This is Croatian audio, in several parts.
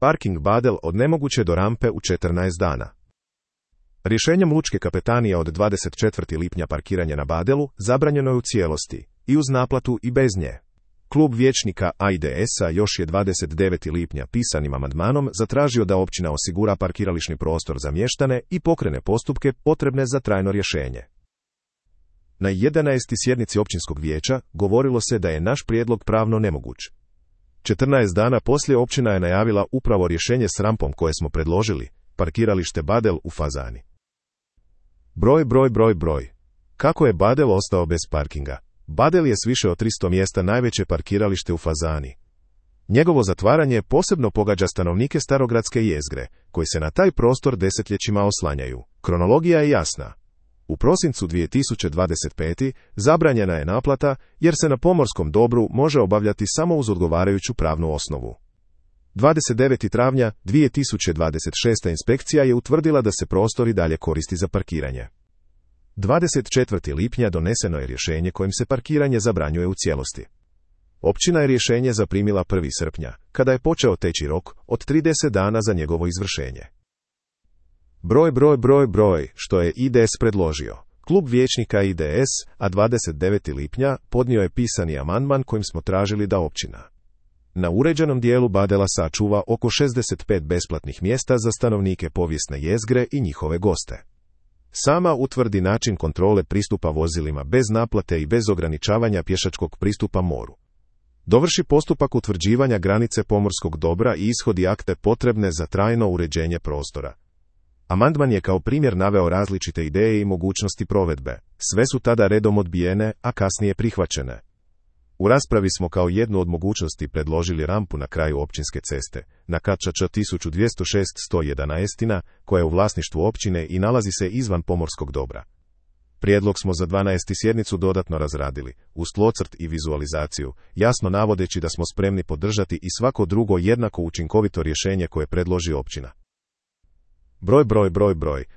Parking Badel od nemoguće do rampe u 14 dana. Rješenjem Lučke kapetanije od 24. lipnja parkiranje na Badelu zabranjeno je u cijelosti, i uz naplatu i bez nje. Klub vijećnika IDS-a još je 29. lipnja pisanim amandmanom zatražio da općina osigura parkirališni prostor za mještane i pokrene postupke potrebne za trajno rješenje. Na 11. sjednici općinskog vijeća govorilo se da je naš prijedlog pravno nemoguć. 14 dana poslije općina je najavila upravo rješenje s rampom koje smo predložili, parkiralište Badel u Fazani. Broj. Kako je Badel ostao bez parkinga? Badel je s više od 300 mjesta najveće parkiralište u Fazani. Njegovo zatvaranje posebno pogađa stanovnike starogradske jezgre, koji se na taj prostor desetljećima oslanjaju. Kronologija je jasna. U prosincu 2025. zabranjena je naplata, jer se na pomorskom dobru može obavljati samo uz odgovarajuću pravnu osnovu. 29. travnja 2026. inspekcija je utvrdila da se prostor i dalje koristi za parkiranje. 24. lipnja doneseno je rješenje kojim se parkiranje zabranjuje u cijelosti. Općina je rješenje zaprimila 1. srpnja, kada je počeo teći rok od 30 dana za njegovo izvršenje. Broj, što je IDS predložio. Klub vijećnika IDS, a 29. lipnja podnio je pisani amandman kojim smo tražili da općina na uređenom dijelu Badela sačuva oko 65 besplatnih mjesta za stanovnike povijesne jezgre i njihove goste. Sama utvrdi način kontrole pristupa vozilima bez naplate i bez ograničavanja pješačkog pristupa moru. Dovrši postupak utvrđivanja granice pomorskog dobra i ishodi akte potrebne za trajno uređenje prostora. Amandman je kao primjer naveo različite ideje i mogućnosti provedbe. Sve su tada redom odbijene, a kasnije prihvaćene. U raspravi smo kao jednu od mogućnosti predložili rampu na kraju općinske ceste, na KČ 1206-111, koja je u vlasništvu općine i nalazi se izvan pomorskog dobra. Prijedlog smo za 12. sjednicu dodatno razradili, uz tlocrt i vizualizaciju, jasno navodeći da smo spremni podržati i svako drugo jednako učinkovito rješenje koje predloži općina. Broj,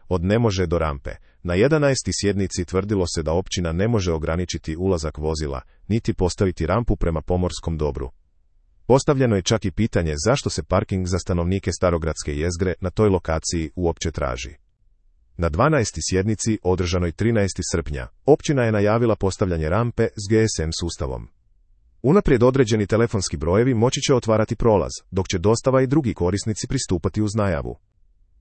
od ne može do rampe. Na 11. sjednici tvrdilo se da općina ne može ograničiti ulazak vozila, niti postaviti rampu prema pomorskom dobru. Postavljeno je čak i pitanje zašto se parking za stanovnike starogradske jezgre na toj lokaciji uopće traži. Na 12. sjednici, održanoj 13. srpnja, općina je najavila postavljanje rampe s GSM sustavom. Unaprijed određeni telefonski brojevi moći će otvarati prolaz, dok će dostava i drugi korisnici pristupati uz najavu.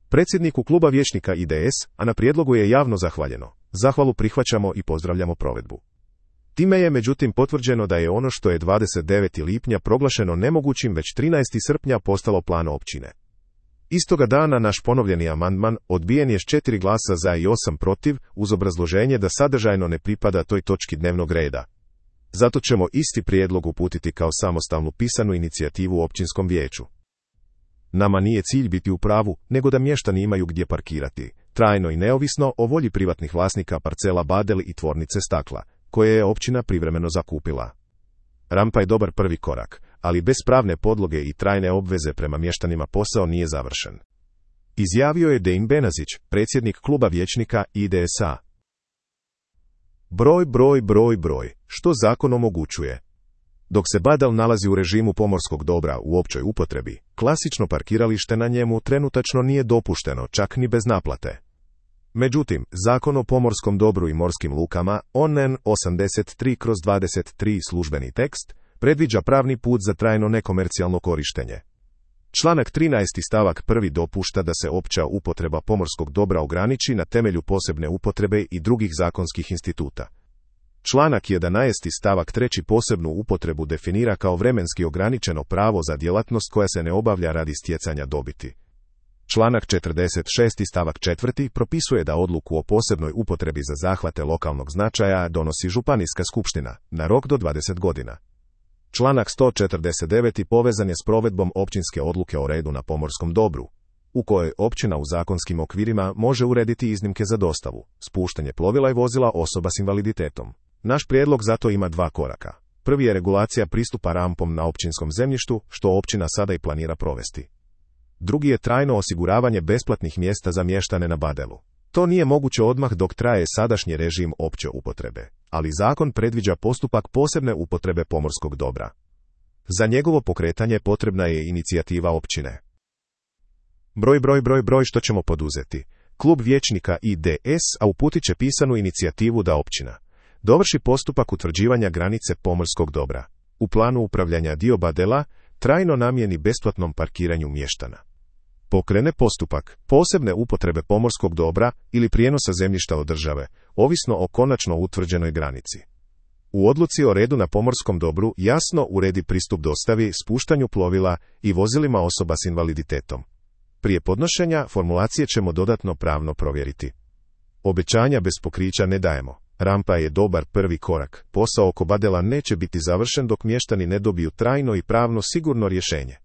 Predsjedniku kluba vijećnika IDS, a na prijedlogu je javno zahvaljeno. Zahvalu prihvaćamo i pozdravljamo provedbu. Time je međutim potvrđeno da je ono što je 29. lipnja proglašeno nemogućim već 13. srpnja postalo plan općine. Istoga dana naš ponovljeni amandman odbijen je s 4 glasa za i 8 protiv, uz obrazloženje da sadržajno ne pripada toj točki dnevnog reda. Zato ćemo isti prijedlog uputiti kao samostalnu pisanu inicijativu u općinskom vijeću. Nama nije cilj biti u pravu, nego da mještani imaju gdje parkirati, trajno i neovisno o volji privatnih vlasnika parcela Badel i tvornice stakla, koje je općina privremeno zakupila. Rampa je dobar prvi korak, ali bez pravne podloge i trajne obveze prema mještanima posao nije završen. Izjavio je Dein Benazić, predsjednik kluba vijećnika IDS-a. Broj, što zakon omogućuje. Dok se Badel nalazi u režimu pomorskog dobra u općoj upotrebi, klasično parkiralište na njemu trenutačno nije dopušteno, čak ni bez naplate. Međutim, Zakon o pomorskom dobru i morskim lukama, ONN 83/23 službeni tekst, predviđa pravni put za trajno nekomercijalno korištenje. Članak 13. stavak 1. dopušta da se opća upotreba pomorskog dobra ograniči na temelju posebne upotrebe i drugih zakonskih instituta. Članak 11. stavak 3. posebnu upotrebu definira kao vremenski ograničeno pravo za djelatnost koja se ne obavlja radi stjecanja dobiti. Članak 46. stavak 4. propisuje da odluku o posebnoj upotrebi za zahvate lokalnog značaja donosi županijska skupština, na rok do 20 godina. Članak 149. povezan je s provedbom općinske odluke o redu na pomorskom dobru, u kojoj općina u zakonskim okvirima može urediti iznimke za dostavu, spuštanje plovila i vozila osoba s invaliditetom. Naš prijedlog zato ima 2 koraka. Prvi je regulacija pristupa rampom na općinskom zemljištu, što općina sada i planira provesti. Drugi je trajno osiguravanje besplatnih mjesta za mještane na Badelu. To nije moguće odmah dok traje sadašnji režim opće upotrebe, ali zakon predviđa postupak posebne upotrebe pomorskog dobra. Za njegovo pokretanje potrebna je inicijativa općine. Broj što ćemo poduzeti. Klub vijećnika IDS uputit će pisanu inicijativu da općina dovrši postupak utvrđivanja granice pomorskog dobra. U planu upravljanja dioba dela trajno namijeni besplatnom parkiranju mještana. Pokrene postupak posebne upotrebe pomorskog dobra ili prijenosa zemljišta od države, ovisno o konačno utvrđenoj granici. U odluci o redu na pomorskom dobru jasno uredi pristup dostavi, spuštanju plovila i vozilima osoba s invaliditetom. Prije podnošenja formulacije ćemo dodatno pravno provjeriti. Obećanja bez pokrića ne dajemo. Rampa je dobar prvi korak. Posao oko badela neće biti završen dok mještani ne dobiju trajno i pravno sigurno rješenje.